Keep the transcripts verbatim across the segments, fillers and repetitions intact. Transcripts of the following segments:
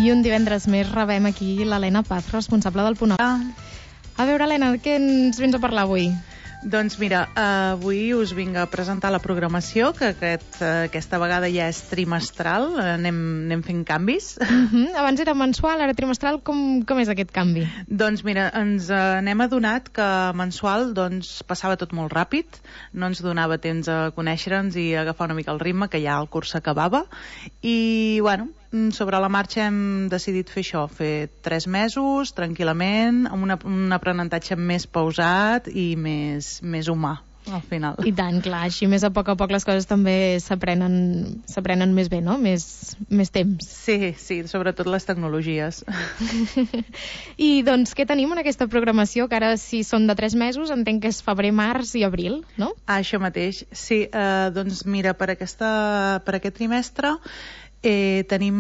I un divendres més rebem aquí l'Helena Paz, responsable del Punt A. A veure, Helena, què ens vens a parlar avui? Doncs mira, avui us vinc a presentar la programació, que aquest, aquesta vegada ja és trimestral, anem, anem fent canvis. Uh-huh. Abans era mensual, ara trimestral, com, com és aquest canvi? Doncs mira, ens n'hem adonat que mensual doncs, passava tot molt ràpid, no ens donava temps a conèixer-nos i agafar una mica el ritme, que ja el curs s'acabava, i bueno, sobre la marxa hem decidit fer això, fer tres mesos, tranquil·lament, amb una, un aprenentatge més pausat i més, més humà, al final. I tant, clar, així més a poc a poc les coses també s'aprenen s'aprenen més bé, no? Més, més temps. Sí, sí, sobretot les tecnologies. I doncs, què tenim en aquesta programació? Que ara, si són de tres mesos, entenc que és febrer, març i abril, no? Ah, això mateix, sí. Eh, doncs mira, per, aquesta, per aquest trimestre Eh, tenim,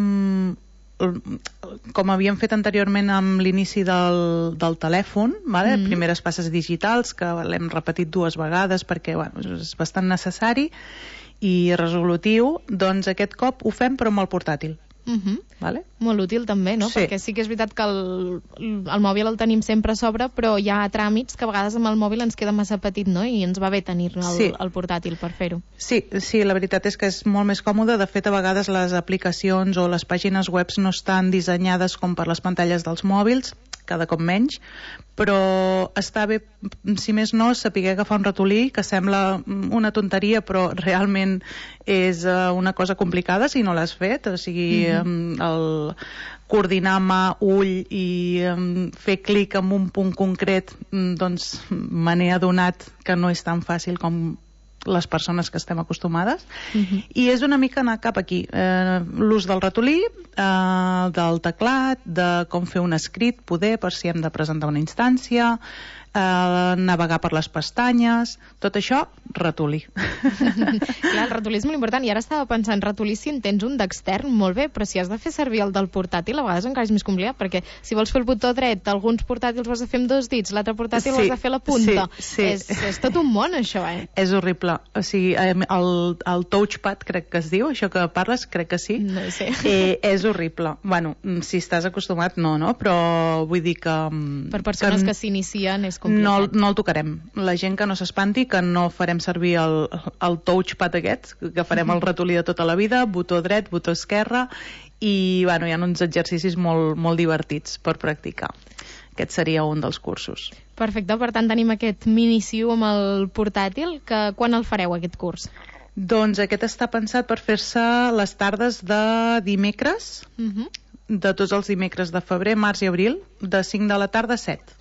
com havíem fet anteriorment amb l'inici del, del telèfon, vale? Mm. Primeres passes digitals, que l'hem repetit dues vegades perquè bueno, és bastant necessari i resolutiu, doncs aquest cop ho fem però amb el portàtil. Uh-huh. Vale? Molt útil també, no? Sí. Perquè sí que és veritat que el, el mòbil el tenim sempre a sobre, però hi ha tràmits que a vegades amb el mòbil ens queda massa petit, no? I ens va bé tenir el, sí. el portàtil per fer-ho. Sí, sí, la veritat és que és molt més còmode. De fet, a vegades les aplicacions o les pàgines web no estan dissenyades com per les pantalles dels mòbils, cada cop menys, però està bé, si més no, saber agafar un ratolí, que sembla una tonteria, però realment és una cosa complicada si no l'has fet, o sigui, mm-hmm. el coordinar mà, ull i um, fer clic en un punt concret, doncs me n'he adonat que no és tan fàcil com les persones que estem acostumades, uh-huh. i és una mica anar cap aquí, eh, l'ús del ratolí, eh, del teclat, de com fer un escrit, poder, per si hem de presentar una instància, eh, navegar per les pestanyes, tot això, ratolí. Clar, el ratolí és molt important, i ara estava pensant, ratolí si en tens un d'extern, molt bé, però si has de fer servir el del portàtil, a vegades encara és més complicat, perquè si vols fer el botó dret, alguns portàtils ho has de fer amb dos dits, l'altre portàtil sí, ho has de fer a la punta. Sí, sí. És, és tot un món, això, eh? És horrible. O sigui, el, el touchpad, crec que es diu, això que parles, crec que sí. No sé. Eh, és horrible. Bueno, si estàs acostumat, no, no? Però vull dir que... Per persones que, que s'inicien és complicat. No, no el tocarem. La gent que no s'espanti, que no farem servir el, el touchpad aquest, que farem el ratolí de tota la vida, botó dret, botó esquerre, i bueno, hi ha uns exercicis molt, molt divertits per practicar. Aquest seria un dels cursos. Perfecte, per tant tenim aquest mini-siu amb el portàtil, que quan el fareu aquest curs? Doncs aquest està pensat per fer-se les tardes de dimecres, uh-huh. de tots els dimecres de febrer, març i abril, de cinc de la tarda a set.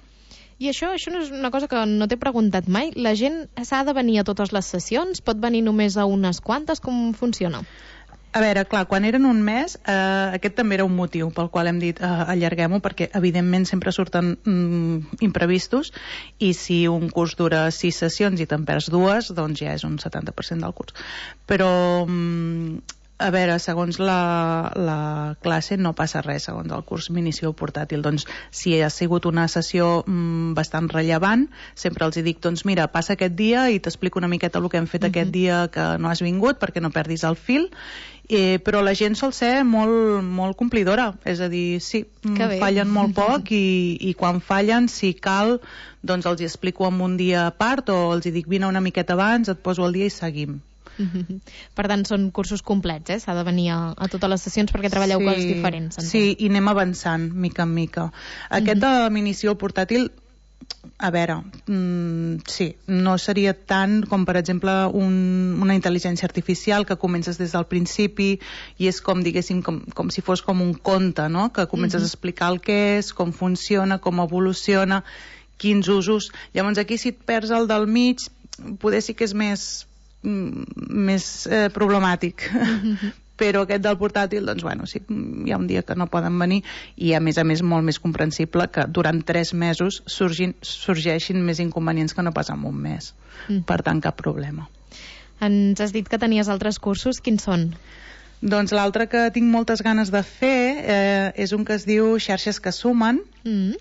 I això, això no és una cosa que no t'he preguntat mai. La gent s'ha de venir a totes les sessions? Pot venir només a unes quantes? Com funciona? A veure, clar, quan eren un mes, eh, aquest també era un motiu pel qual hem dit eh, allarguem-ho, perquè evidentment sempre surten mm, imprevistos, i si un curs dura sis sessions i te'n perds dues, doncs ja és un setanta per cent del curs. Però... Mm, a veure, segons la, la classe no passa res, segons el curs m'inicio portàtil. Doncs si ha sigut una sessió mm, bastant rellevant, sempre els dic, doncs mira, passa aquest dia i t'explico una miqueta el que hem fet uh-huh. aquest dia que no has vingut perquè no perdis el fil, eh, però la gent sol ser molt, molt complidora, és a dir, sí, fallen molt poc i, i quan fallen, si cal, doncs els hi explico en un dia a part o els hi dic, vine una miqueta abans, et poso el dia i seguim. Per tant, són cursos complets, eh? S'ha de venir a, a totes les sessions perquè treballeu sí, coses diferents. Entenc. Sí, i anem avançant, mica en mica. Aquest de l'inici al portàtil, a veure, mm, sí, no seria tant com, per exemple, un, una intel·ligència artificial que comences des del principi i és com, diguéssim, com, com si fos com un conte, no? Que comences uh-huh. a explicar el que és, com funciona, com evoluciona, quins usos. Llavors aquí, si et perds el del mig, poder sí que és més... més eh, problemàtic mm-hmm. però aquest del portàtil, doncs bueno, sí, hi ha un dia que no poden venir i a més a més molt més comprensible que durant tres mesos surgin, sorgeixin més inconvenients que no pas en un mes mm. per tant cap problema. Ens has dit que tenies altres cursos, quins són? Doncs l'altre que tinc moltes ganes de fer eh, és un que es diu Xarxes que sumen mm.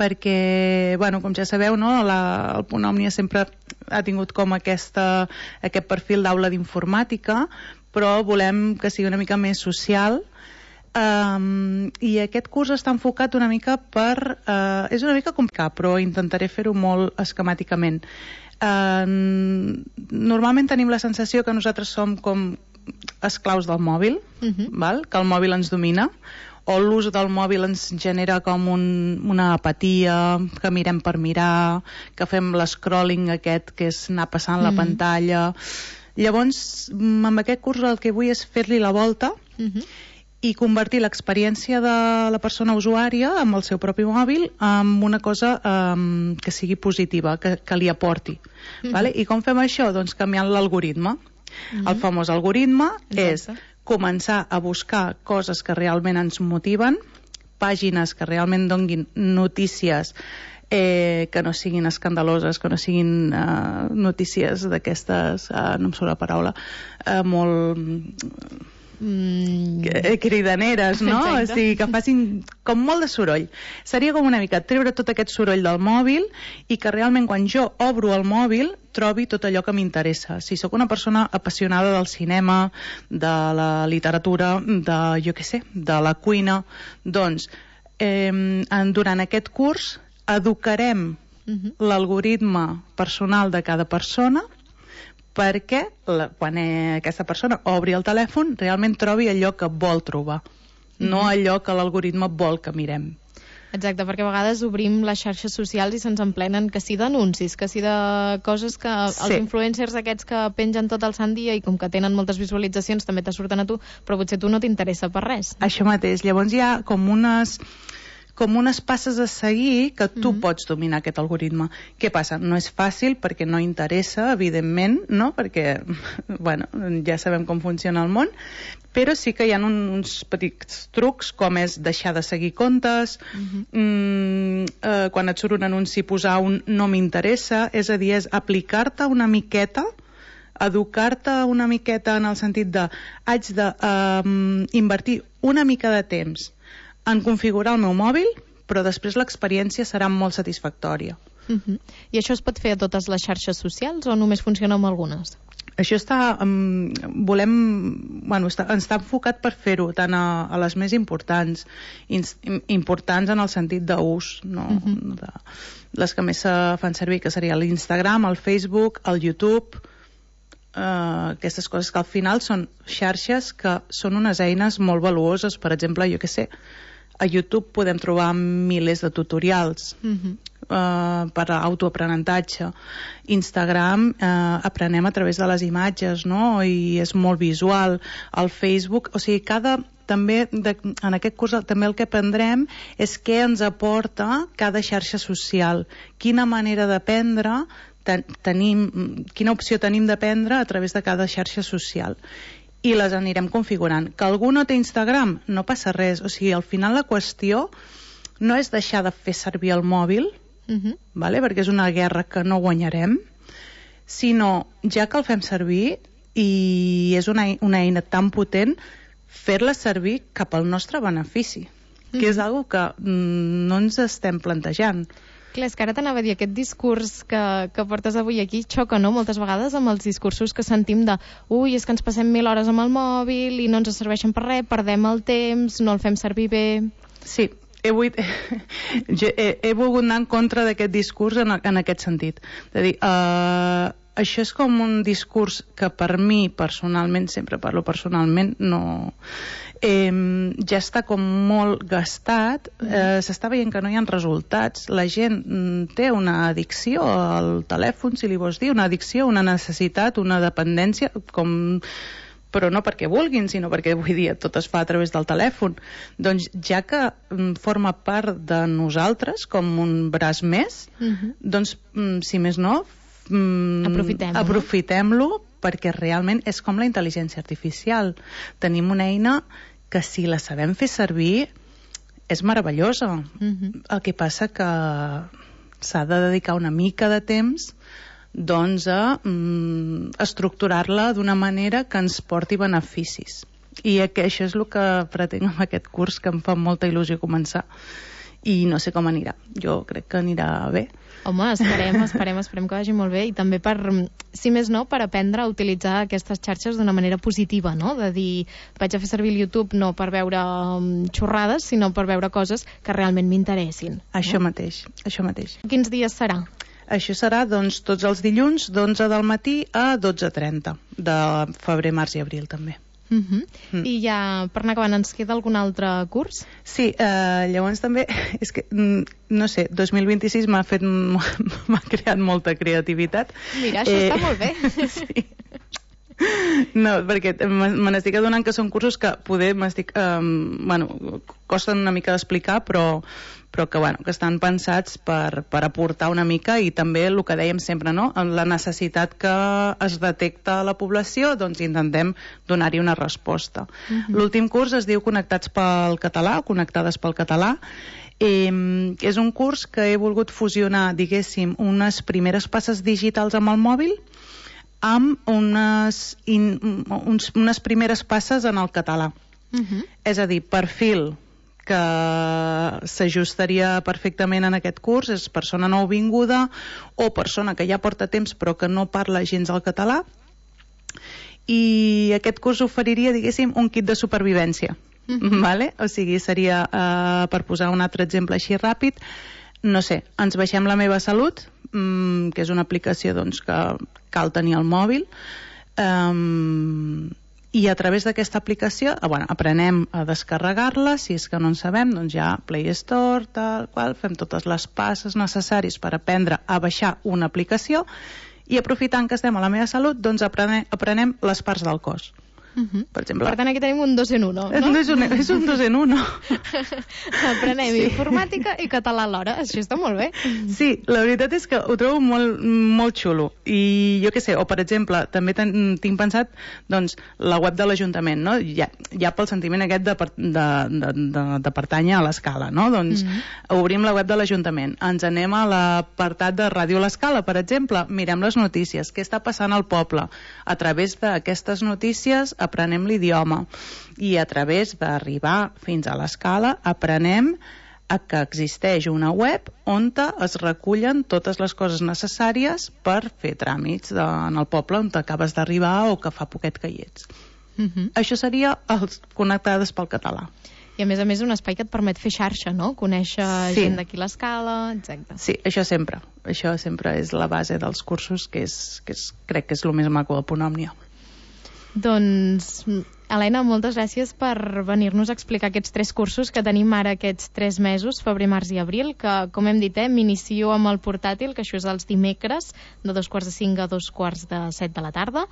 perquè, bueno, com ja sabeu, no, la, el Punt Òmnia sempre ha tingut com aquesta, aquest perfil d'aula d'informàtica, però volem que sigui una mica més social Um, I aquest curs està enfocat una mica per... Uh, és una mica complicat, però intentaré fer-ho molt esquemàticament. Uh, normalment tenim la sensació que nosaltres som com esclaus del mòbil, uh-huh. val? Que el mòbil ens domina, o l'ús del mòbil ens genera com un, una apatia, que mirem per mirar, que fem l'escrolling aquest, que és anar passant uh-huh. la pantalla. Llavors, amb aquest curs el que vull és fer-li la volta uh-huh. i convertir l'experiència de la persona usuària amb el seu propi mòbil en una cosa um, que sigui positiva, que, que li aporti. Uh-huh. Vale? I com fem això? Doncs canviant l'algoritme. Uh-huh. El famós algoritme Exacte. És començar a buscar coses que realment ens motiven, pàgines que realment donguin notícies eh, que no siguin escandaloses, que no siguin eh, notícies d'aquestes, eh, no em surt la paraula, eh, molt... Mm. cridaneres, no? O sigui, que facin com molt de soroll. Seria com una mica treure tot aquest soroll del mòbil i que realment quan jo obro el mòbil trobi tot allò que m'interessa. Si sóc una persona apassionada del cinema, de la literatura, de, jo què sé, de la cuina, doncs eh, durant aquest curs educarem uh-huh. l'algoritme personal de cada persona perquè la, quan eh, aquesta persona obri el telèfon realment trobi allò que vol trobar, mm-hmm. no allò que l'algoritme vol que mirem. Exacte, perquè a vegades obrim les xarxes socials i se'ns emplenen que sí d'anuncis, que sí de coses que sí. els influencers aquests que pengen tot el sant dia i com que tenen moltes visualitzacions també te surten a tu, però potser tu no t'interessa per res. Això mateix, llavors hi ha com unes... com unes passes a seguir que tu mm-hmm. pots dominar aquest algoritme. Què passa? No és fàcil perquè no interessa, evidentment, no? Perquè, bueno, ja sabem com funciona el món, però sí que hi ha un, uns petits trucs, com és deixar de seguir comptes, mm-hmm. mm, eh, quan et surt un anunci posar un no m'interessa, és a dir, és aplicar-te una miqueta, educar-te una miqueta en el sentit de haig de eh, invertir una mica de temps en configurar el meu mòbil, però després l'experiència serà molt satisfactòria. Uh-huh. I això es pot fer a totes les xarxes socials o només funciona amb algunes? Això està... Um, volem... Bueno, està, està enfocat per fer-ho tant a, a les més importants, in, importants en el sentit d'ús, no? Uh-huh. de, les que més se fan servir, que seria l'Instagram, el Facebook, el YouTube... Uh, aquestes coses que al final són xarxes que són unes eines molt valuoses. Per exemple, jo què sé, a YouTube podem trobar milers de tutorials uh-huh. uh, per a autoaprenentatge. Instagram uh, aprenem a través de les imatges, no? I és molt visual. El Facebook, o sigui, cada... també de, en aquest curs també el que aprendrem és què ens aporta cada xarxa social, quina manera d'aprendre ten, tenim, quina opció tenim d'aprendre a través de cada xarxa social, i les anirem configurant. Que algú no té Instagram, no passa res, o sigui, al final la qüestió no és deixar de fer servir el mòbil, uh-huh. vale? Perquè és una guerra que no guanyarem, sinó ja que el fem servir i és una, una eina tan potent, fer-la servir cap al nostre benefici, mm. que és una cosa que mm, no ens estem plantejant. Clar, és que ara t'anava a dir, aquest discurs que, que portes avui aquí xoca, no?, moltes vegades amb els discursos que sentim de ui, és que ens passem mil hores amb el mòbil i no ens serveixen per res, perdem el temps, no el fem servir bé... Sí, he, vuit, he, he volgut anar en contra d'aquest discurs en, en aquest sentit. De dir... Uh, això és com un discurs que per mi personalment, sempre parlo personalment, no, eh, ja està com molt gastat, eh, s'està veient que no hi ha resultats, la gent mm, té una addicció al telèfon, si li vols dir, una addicció, una necessitat, una dependència, com... però no perquè vulguin, sinó perquè, vull dir, tot es fa a través del telèfon. Doncs ja que mm, forma part de nosaltres, com un braç més, uh-huh. doncs, mm, si més no, Mm, aprofitem-lo. aprofitem-lo perquè realment és com la intel·ligència artificial. Tenim una eina que si la sabem fer servir és meravellosa. Uh-huh. El que passa que s'ha de dedicar una mica de temps doncs a mm, estructurar-la d'una manera que ens porti beneficis. I això és el que pretenc amb aquest curs, que em fa molta il·lusió començar, i no sé com anirà. Jo crec que anirà bé. Home, esperem, esperem, esperem que vagi molt bé i també per, si més no, per aprendre a utilitzar aquestes xarxes d'una manera positiva, no? De dir, vaig a fer servir el YouTube no per veure um, xorrades, sinó per veure coses que realment m'interessin. Això no? mateix, això mateix. Quins dies serà? Això serà, doncs, tots els dilluns d'onze del matí a dotze trenta, de febrer, març i abril, també. Uh -huh. mm. I ja, per anar acabant, ens queda algun altre curs? Sí, eh, llavors també, és que, no sé, dos mil vint-i-sis m'ha fet, m'ha creat molta creativitat. Mira, això eh, està molt bé. Sí. No, perquè me n'estic adonant que són cursos que poder m'estic... Eh, bueno, costen una mica d'explicar, però, però que, bueno, que estan pensats per, per aportar una mica i també el que dèiem sempre, no? La necessitat que es detecta a la població, doncs intentem donar-hi una resposta. Uh-huh. L'últim curs es diu Connectats pel Català, o Connectades pel Català. Eh, és un curs que he volgut fusionar, diguéssim, unes primeres passes digitals amb el mòbil amb unes, in, uns, unes primeres passes en el català. Uh-huh. És a dir, perfil que s'ajustaria perfectament en aquest curs és persona nouvinguda o persona que ja porta temps però que no parla gens el català, i aquest curs oferiria, diguéssim, un kit de supervivència. Uh-huh. Vale? O sigui, seria, uh, per posar un altre exemple així ràpid, no sé, ens baixem La meva salut, mmm, que és una aplicació doncs, que cal tenir al mòbil, um, i a través d'aquesta aplicació bueno, aprenem a descarregar-la, si és que no en sabem, doncs ja Play Store, tal qual, fem totes les passes necessàries per aprendre a baixar una aplicació i aprofitant que estem a La meva salut, doncs aprenem, aprenem les parts del cos. Uh-huh. Per exemple. Per tant, aquí tenim un dos en uno, no? És un, és un dos en uno. Aprenem sí. informàtica i català alhora. Això està molt bé. Sí, la veritat és que ho trobo molt, molt xulo. I jo què sé, o per exemple, també ten, tinc pensat doncs, la web de l'Ajuntament, no? Ja, ja pel sentiment aquest de, de, de, de, de pertànyer a l'Escala, no? Doncs uh-huh. obrim la web de l'Ajuntament, ens anem a l'apartat de Ràdio l'Escala, per exemple, mirem les notícies, què està passant al poble. A través d'aquestes notícies aprenem l'idioma i a través d'arribar fins a l'Escala aprenem a que existeix una web on es recullen totes les coses necessàries per fer tràmits de, en el poble on acabes d'arribar o que fa poquet que hi ets. Uh-huh. Això seria els Connectades pel Català. I a més a més un espai que et permet fer xarxa, no? Conèixer sí. gent d'aquí l'Escala, exacte. Sí, això sempre. Això sempre és la base dels cursos, que, és, que és, crec que és el més maco de Ponòmnia. Doncs, Helena, moltes gràcies per venir-nos a explicar aquests tres cursos que tenim ara aquests tres mesos, febrer, març i abril, que, com hem dit, eh, m'inicio amb el portàtil, que això és els dimecres, de dos quarts de cinc a dos quarts de set de la tarda.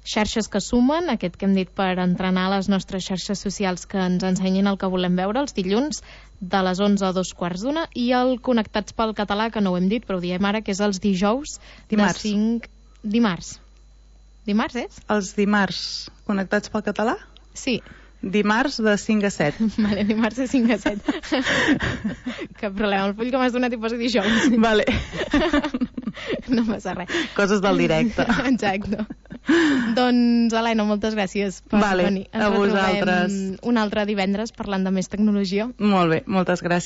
Xarxes que sumen, aquest que hem dit per entrenar les nostres xarxes socials que ens ensenyin el que volem veure, els dilluns de les onze a dos quarts d'una, i el Connectats pel Català, que no ho hem dit, però ho diem ara, que és els dijous dimarts. de cinc... Dimarts. Dimarts és? Els dimarts Connectats pel Català? Sí. Dimarts de cinc a set. Vale, dimarts de cinc a set. Cap problema, el full que m'has donat hi posa dijous. Vale. No passa res. Coses del directe. Exacte. Doncs, Helena, moltes gràcies per vale, venir. Ens a vosaltres. Un altre divendres parlant de més tecnologia. Molt bé, moltes gràcies.